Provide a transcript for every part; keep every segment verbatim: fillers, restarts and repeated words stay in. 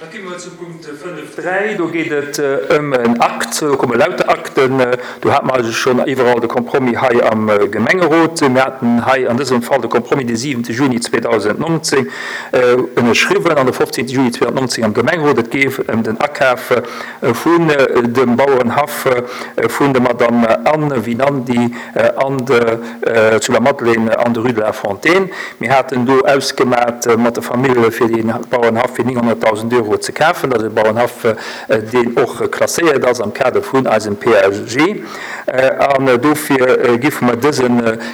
Da komme mer zum Punkt fënnef dräi. Do geet et ëm en Akt, do komme lauter Akten. Do hate mer eigentlech schonn iwwerall de Compromis hei am Gemengerot. Mir haten hei an dësem Fall de Compromis de siwente Juni zweedausendnonzéng ënnerschriwwen an de fofzéngte Juni zweedausendnonzéng am Gemengerot. Et geet ëm den Akaf vun dem Bauerenhaff vun der Madame Anne Winandy an de, zu der Madeleine an der Rue de la Fontaine. Mir haten do ausgemat mat der Famill fir dee Bauerenhaff fir nénghonnertdausend Euro ze kafen. Dat ass e Bauerenhaff, deen och klasséiert ass am Kader vun eisem P A G. An dofir géife mer dëse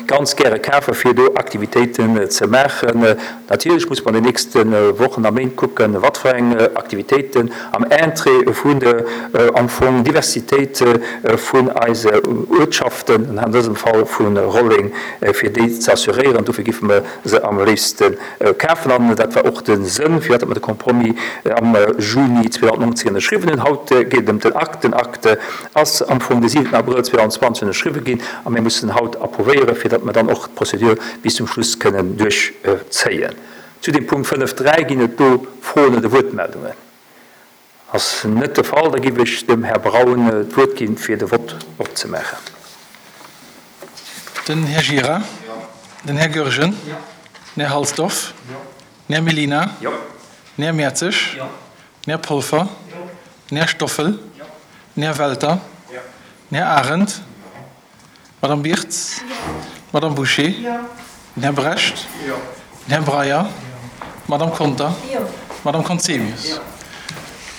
ganz gäre kafen, fir do Aktivitéiten ze maachen. Natierlech muss mer an den nächste Wochen a Méint kucken, wat fir eng Aktivitéiten am Interêt vun der am Fong Diversitéit vun eise Uertschaften, an dësem Fall vu Rolleng, fir déi ze assuréieren. Dofir géife mer se am léifste kafen. An dat war och de Sënn, firwat mer de Compromis am Juni zweedausendnonzéng ënnerschriwwen hunn. Haut geet et ëm den Akt. Den Akt ass am Fong de siwenten Abrëll zweedausendzwanzeg ënnerschriwwe ginn a mir mussen haut approuvéieren, fir datt mer dann och d'Prozedur bis zum Schluss kënnen duerchzéien. Zu dem Punkt fënnef dräi ginn et do Froen oder Wuertmeldungen? Ass net de Fall. Da géif ech dem Här Braun d'Wuert ginn, fir de Vott opzemaachen. Den Här Gira? Den Här Goergen? Den Här Halsdorf? Den Här Mellina? Den Här Mertzig? Den Här Polfer? Den Här Stoffel? Den Här Welter? Den Här Arendt? D'Madame Birtz? D'Madame Bouché? Den Här Brecht? Den Här Breyer? D'Madame Conter? D'Madame Conzemius?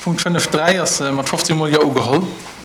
Punkt fënnef dräi ass mat fofzéng Mol Jo ugeholl.